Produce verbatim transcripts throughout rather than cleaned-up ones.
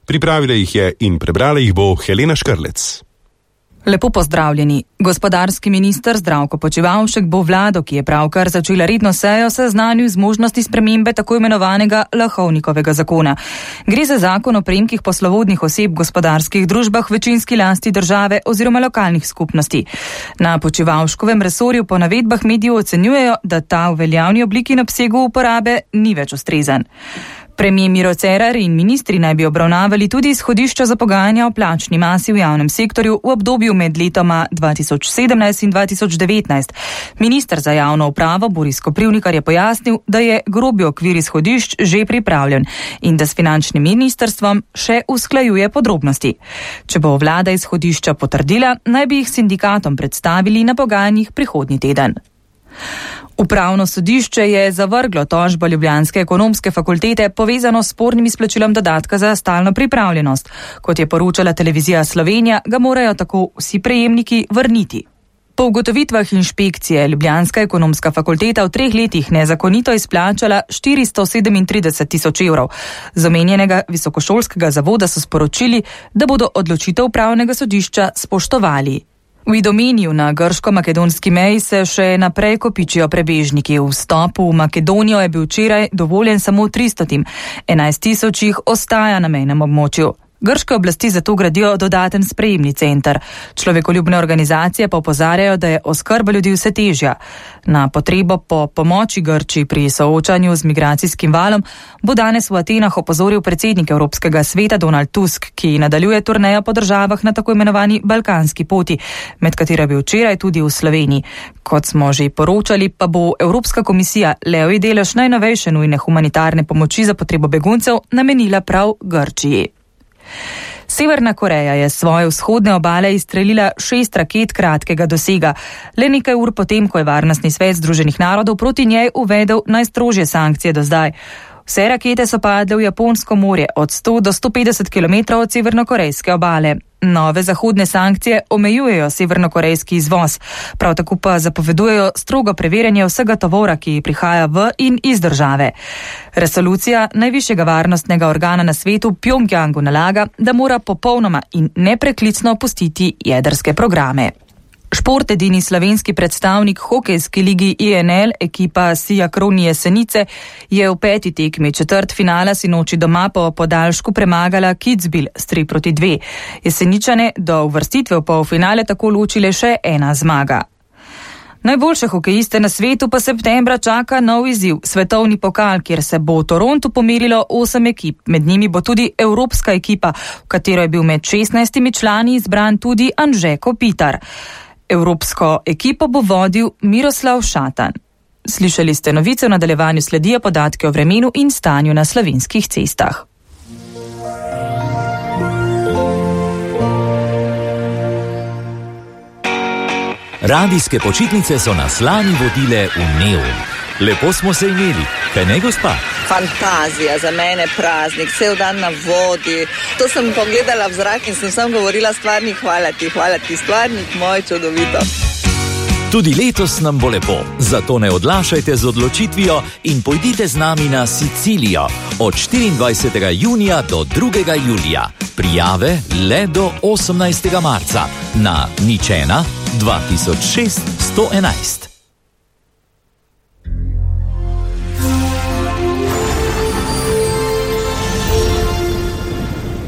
Pripravila jih je in prebrala jih bo Helena Škrlec. Lepo pozdravljeni. Gospodarski minister Zdravko Počivalšek bo vlado, ki je pravkar začela redno sejo, seznanil z možnosti spremembe tako imenovanega Lahovnikovega zakona. Gre za zakon o prejemkih poslovodnih oseb v gospodarskih družbah v večinski lasti države oziroma lokalnih skupnosti. Na Počivalškovem resorju po navedbah medijev ocenjujejo, da ta v veljavni obliki in obsegu uporabe ni več ustrezen. Premier Miro Cerar in ministri naj bi obravnavali tudi izhodišča za pogajanja o plačni masi v javnem sektorju v obdobju med letoma dva tisoč sedemnajst in dva tisoč devetnajst. Minister za javno upravo Boris Koprivnikar je pojasnil, da je grobi okvir izhodišč že pripravljen in da s finančnim ministrstvom še usklajuje podrobnosti. Če bo vlada izhodišča potrdila, naj bi jih sindikatom predstavili na pogajanjih prihodnji teden. Upravno sodišče je zavrglo tožbo ljubljanske ekonomske fakultete povezano s spornim izplačilom dodatka za stalno pripravljenost. Kot je poročala televizija Slovenija, ga morajo tako vsi prejemniki vrniti. Po ugotovitvah inšpekcije ljubljanska ekonomska fakulteta v treh letih nezakonito izplačala štiristo sedemintrideset tisoč evrov. Z omenjenega visokošolskega zavoda so sporočili, da bodo odločitev upravnega sodišča spoštovali. V Idomeniju na grško-makedonski meji se še naprej kopičijo prebežniki. Vstop v Makedonijo je bil včeraj dovoljen samo tristotim, enajst tisoč jih ostaja na mejnem območju. Grške oblasti zato gradijo dodaten sprejemni center. Človekoljubne organizacije pa opozarjajo, da je oskrba ljudi vse težja. Na potrebo po pomoči Grčiji pri soočanju z migracijskim valom bo danes v Atenah opozoril predsednik Evropskega sveta Donald Tusk, ki nadaljuje turnejo po državah na tako imenovani balkanski poti, med katero je bil včeraj tudi v Sloveniji. Kot smo že poročali, pa bo Evropska komisija levji delež najnovejše nujne humanitarne pomoči za potrebo beguncev namenila prav Grčiji. Severna Koreja je svoje vzhodne obale izstrelila šest raket kratkega dosega. Le nekaj ur potem, ko je Varnostni svet Združenih narodov proti njej uvedel najstrožje sankcije do zdaj. Vse rakete so padle v Japonsko morje od sto do sto petdeset kilometrov od severnokorejske obale. Nove zahodne sankcije omejujejo severnokorejski izvoz, prav tako pa zapovedujejo strogo preverjanje vsega tovora, ki prihaja v in iz države. Resolucija najvišjega varnostnega organa na svetu Pjongjangu nalaga, da mora popolnoma in nepreklicno opustiti jedrske programe. Šport edini slovenski predstavnik hokejske ligi I N L, ekipa Sija Kroni Jesenice, je v peti tekmi četrt finala sinoči doma po podaljšku premagala Kitzbühel s tri proti dve. Jeseničane do uvrstitve v polfinale tako ločile še ena zmaga. Najboljše hokejiste na svetu pa septembra čaka nov izziv, svetovni pokal, kjer se bo v Torontu pomerilo osem ekip. Med njimi bo tudi evropska ekipa, v katero je bil med šestnajstimi člani izbran tudi Anže Kopitar. Evropsko ekipo bo vodil Miroslav Šatan. Slišali ste novice, v nadaljevanju sledijo podatke o vremenu in stanju na slovenskih cestah. Radijske počitnice so nas lani vodile v neon. Lepo smo se imeli, kaj ne, gospa? Fantazija, za mene praznik, cel dan na vodi. To sem pogledala v zrak in sem sam govorila stvarnik, hvala ti, hvala ti, stvarnik moj, čudovito. Tudi letos nam bo lepo, zato ne odlašajte z odločitvijo in pojdite z nami na Sicilijo od štiriindvajsetega junija do drugega julija. Prijave le do osemnajstega marca na nič ena dva tisoč šest sto enajst.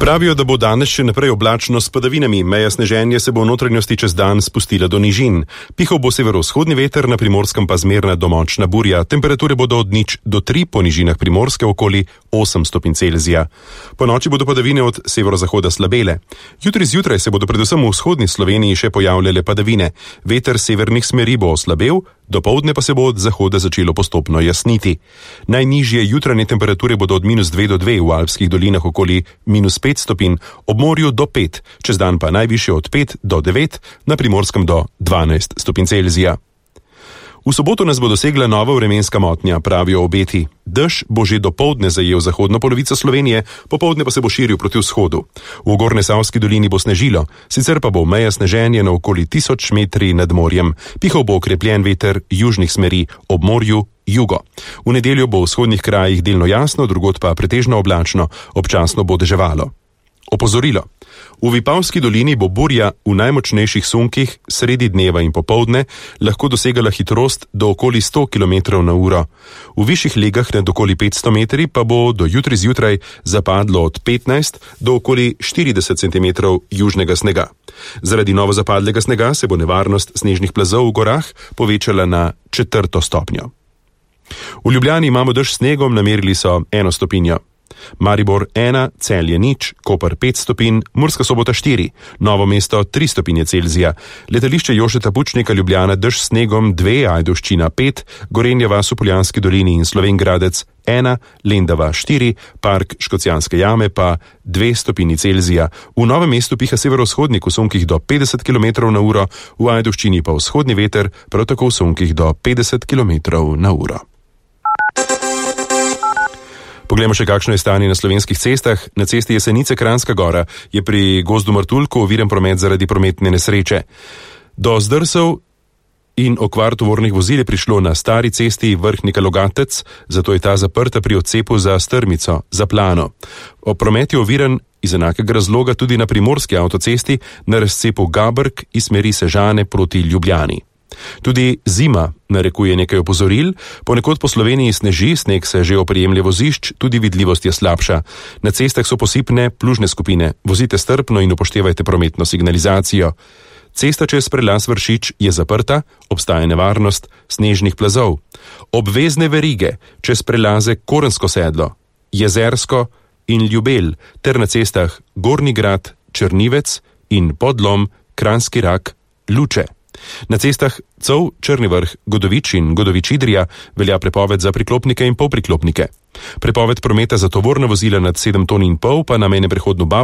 Pravijo, da bo danes še naprej oblačno s padavinami, meja sneženja se bo v notranjosti čez dan spustila do nižin. Pihal bo severovzhodni veter, na Primorskem pa zmerna do močna burja. Temperature bodo od nič do tri, po nižinah Primorske okoli osem stopinj Celzija. Po noči bodo padavine od severozahoda slabele. Jutri zjutraj se bodo predvsem v vzhodni Sloveniji še pojavljale padavine. Veter severnih smeri bo oslabel, dopoldne pa se bo od zahoda začelo postopno jasniti. Najnižje jutranje temperature bodo od minus dve do dve, v alpskih dolinah okoli minus pet stopinj, ob morju do pet, čez dan pa najvišje od pet do devet, na Primorskem do dvanajst stopinj Celzija. V soboto nas bo dosegla nova vremenska motnja, pravijo obeti. Dež bo že dopoldne zajel zahodno polovico Slovenije, popoldne pa se bo širil proti vzhodu. V Gornjesavski dolini bo snežilo, sicer pa bo meja sneženja na okoli tisoč metri nad morjem. Pihal bo okrepljen veter južnih smeri, ob morju jugo. V nedeljo bo v vzhodnih krajih delno jasno, drugod pa pretežno oblačno, občasno bo deževalo. Opozorilo. V Vipavski dolini bo burja v najmočnejših sunkih sredi dneva in popoldne lahko dosegala hitrost do okoli sto kilometrov na uro. V višjih legah nad okoli petsto metri pa bo do jutri zjutraj zapadlo od petnajst do okoli štirideset centimetrov južnega snega. Zaradi novo zapadlega snega se bo nevarnost snežnih plazov v gorah povečala na četrto stopnjo. V Ljubljani imamo dež s snegom, namerili so eno stopinjo. Maribor ena, Celje nič, Koper pet stopinj, Murska Sobota štiri, Novo mesto tri stopinje Celzija, letališče Jožeta Pučnika Ljubljana dež s snegom dve, Ajdovščina pet, Gorenja vas v Poljanski dolini in Slovenj Gradec ena, Lendava štiri, Park Škocjanske jame pa dve stopinji Celzija. V Novem mestu piha severovzhodnik v sunkih do petdeset kilometrov na uro, v Ajdovščini pa vzhodni veter, prav tako v sunkih do petdeset kilometrov na uro. Poglejmo še, kakšno je stanje na slovenskih cestah. Na cesti Jesenice-Kranjska Gora je pri Gozdu Martuljku oviran promet zaradi prometne nesreče. Do zdrsov in okvar tovornih vozil je prišlo na stari cesti Vrhnika-Logatec, zato je ta zaprta pri odcepu za Strmico, za Plano. O promet je oviran iz enakega razloga tudi na primorski avtocesti na razcepu Gabrk iz smeri Sežane proti Ljubljani. Tudi zima narekuje nekaj opozoril, ponekod po Sloveniji sneži, sneg se že oprijemlje vozišč, tudi vidljivost je slabša. Na cestah so posipne plužne skupine, vozite strpno in upoštevajte prometno signalizacijo. Cesta čez prelaz Vršič je zaprta, obstaja nevarnost snežnih plazov. Obvezne verige čez prelaze Korensko sedlo, Jezersko in Ljubelj ter na cestah Gornji Grad, Črnivec in Podlom, Kranjski Rak, Luče. Na cestah Cov, Črni vrh, Godovič in Godovič-Idrija velja prepoved za priklopnike in polpriklopnike. Prepoved prometa za tovorna vozila nad sedem ton in pol pa na mejnem prehodu Bab